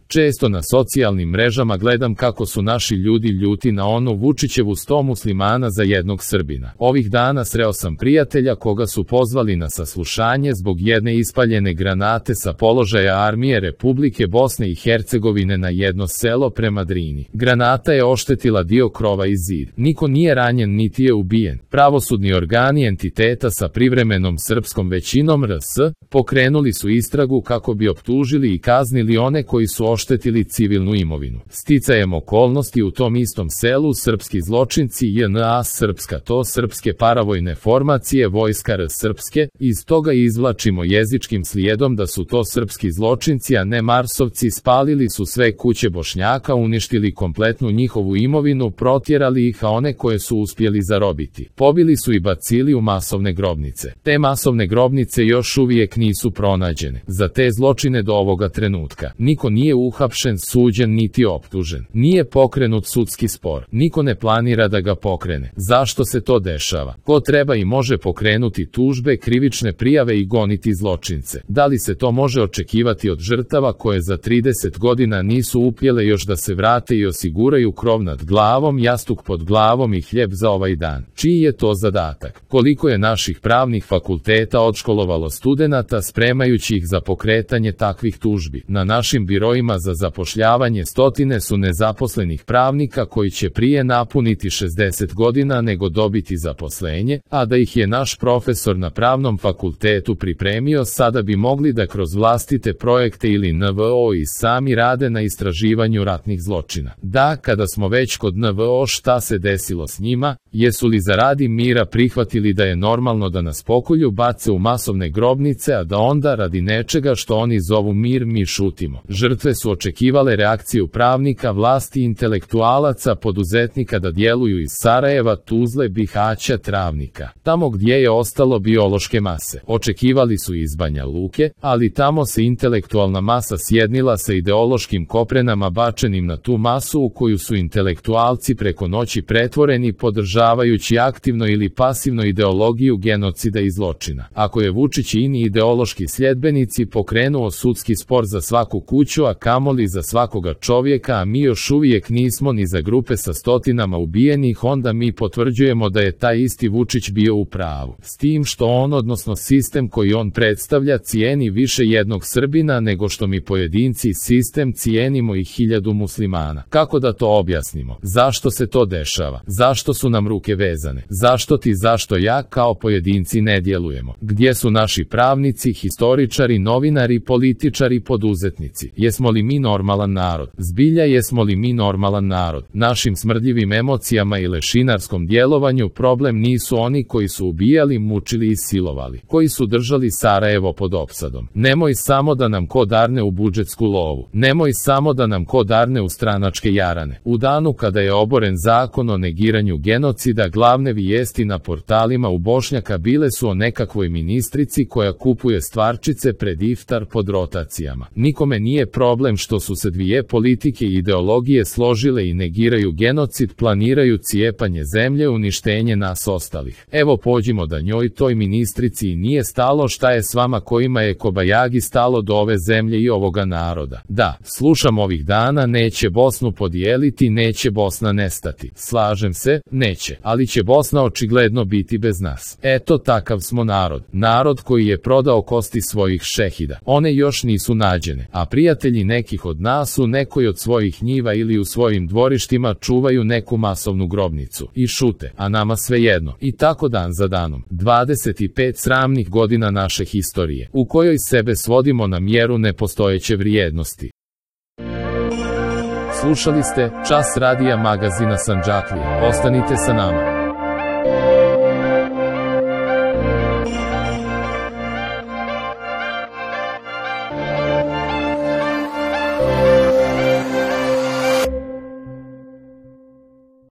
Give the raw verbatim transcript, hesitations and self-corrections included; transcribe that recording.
Često na socijalnim mrežama gledam kako su naši ljudi ljuti na onu Vučićevu sto muslimana za jednog Srbina. Ovih dana sreo sam prijatelja koga su pozvali na saslušanje zbog jedne ispaljene granate sa položaja armije Republike Bosne i Hercegovine na jedno selo prema Drini. Granata je oštetila dio krova i zid. Niko nije ranjen niti je ubijen. Pravosudni organi entiteta sa privremenom srpskom većinom R S pokrenuli su istragu kako bi optužili i kaznili one koji su oštetili civilnu imovinu. Sticajem okolnosti u tom istom selu srpski zločinci J N A srpska to srpske paravojne formacije vojska R srpske, iz toga izvlačimo jezičkim slijedom da su to srpski zločinci a ne marsovci, spalili su sve kuće Bošnjaka, uništili kompletnu njihovu imovinu, protjerali ih a one koje su uspjeli zarobiti pobili su i bacili u masovne grobnice. Te masovne grobnice još uvijek nisu pronađene. Za te zločine do ovoga trenutka niko nije uhapšen, suđen niti optužen. Nije pokrenut sudski spor. Niko ne planira da ga pokrene. Zašto se to dešava? Ko treba i može pokrenuti tužbe, krivične prijave i goniti zločince? Da li se to može očekivati od žrtava koje za trideset godina nisu upjele još da se vrate i osiguraju krov nad glavom, jastuk pod glavom i hljeb za ovaj dan? Čiji je to zadatak? Koliko je naših pravnih fakulteta odškolovalo studenata spremajući ih za pokretanje takvih tužbi? Na našim biroima za zapošljavanje stotine su nezaposlenih pravnika koji će prije napuniti šezdeset godina nego dobiti zaposlenje, a da ih je naš profesor na pravnom fakultetu pripremio, sada bi mogli da kroz vlastite projekte ili N V O i sami rade na istraživanju ratnih zločina. Da, kada smo već kod N V O, šta se desilo s njima? Jesu li zaradi mira prihvatili da je normalno da nas pokolju, bace u masovne grobnice, a da onda radi nečega što oni zovu mir mi šutimo? Žrtve su očekivale reakciju pravnika, vlasti, intelektualaca, poduzetnika da djeluju iz Sarajeva, Tuzle, Bihaća, Travnika. Tamo gdje je ostalo biološke mase. Očekivali su iz Banja Luke, ali tamo se intelektualna masa sjednila sa ideološkim koprenama bačenim na tu masu u koju su intelektualci preko noći pretvoreni, podržavajući aktivno ili pasivno ideologiju genocida i zločina. Ako je Vučić i ini ideološki sljedbenici pokrenuo sudski spor za svaku kuću, a kamoli za svakoga čovjeka, a mi još uvijek nismo ni za grupe sa stotinama ubijenih, onda mi potvrđujemo da je taj isti Vučić bio u pravu. S tim što on, odnosno sistem koji on predstavlja, cijeni više jednog Srbina nego što mi pojedinci sistem cijenimo i hiljadu muslimana. Kako da to objasnimo? Zašto se to dešava? Zašto su nam ruke vezane? Zašto ti, zašto ja kao pojedinci ne djelujemo? Gdje su naši pravnici, historičari, novinari, političari, poduzetnici? Jesmo li mi normalan narod? Zbilja jesmo li mi normalan narod? Našim smrdljivim emocijama i lešinarskom djelovanju problem nisu oni koji su ubijali, mučili i silovali, koji su držali Sarajevo pod opsadom. Nemoj samo da nam ko darne u budžetsku lovu. Nemoj samo da nam ko darne u stranačke jarane. U danu kada je oboren zakon o negiranju genocida, glavne vijesti na portalima u Bošnjaka bile su o nekakvoj ministrici koja kupuje stvarčice pred iftar pod rotacijama. Nikome nije problem što su se dvije politike i ideologije složile i negiraju genocid, planiraju cijepanje zemlje, uništenje nas ostalih. Evo pođimo da njoj, toj ministrici, i nije stalo šta je s vama kojima je kobajagi stalo do ove zemlje i ovoga naroda. Da, slušam ovih dana, neće Bosnu podijeliti, neće Bosna nestati. Slažem se, neće, ali će Bosna očigledno biti bez nas. Eto, takav smo narod. Narod koji je prodao kosti svojih šehida. One još nisu nađene, a prijatelji nekih od nas u nekoj od svojih njiva ili u svojim dvorištima čuvaju neku masovnu grobnicu i šute, a nama svejedno. I tako dan za danom. dvadeset pet sramnih godina naše historije, u kojoj sebe svodimo na mjeru nepostojeće vrijednosti. Slušali ste Čas radija magazina Sandžaklija. Ostanite sa nama.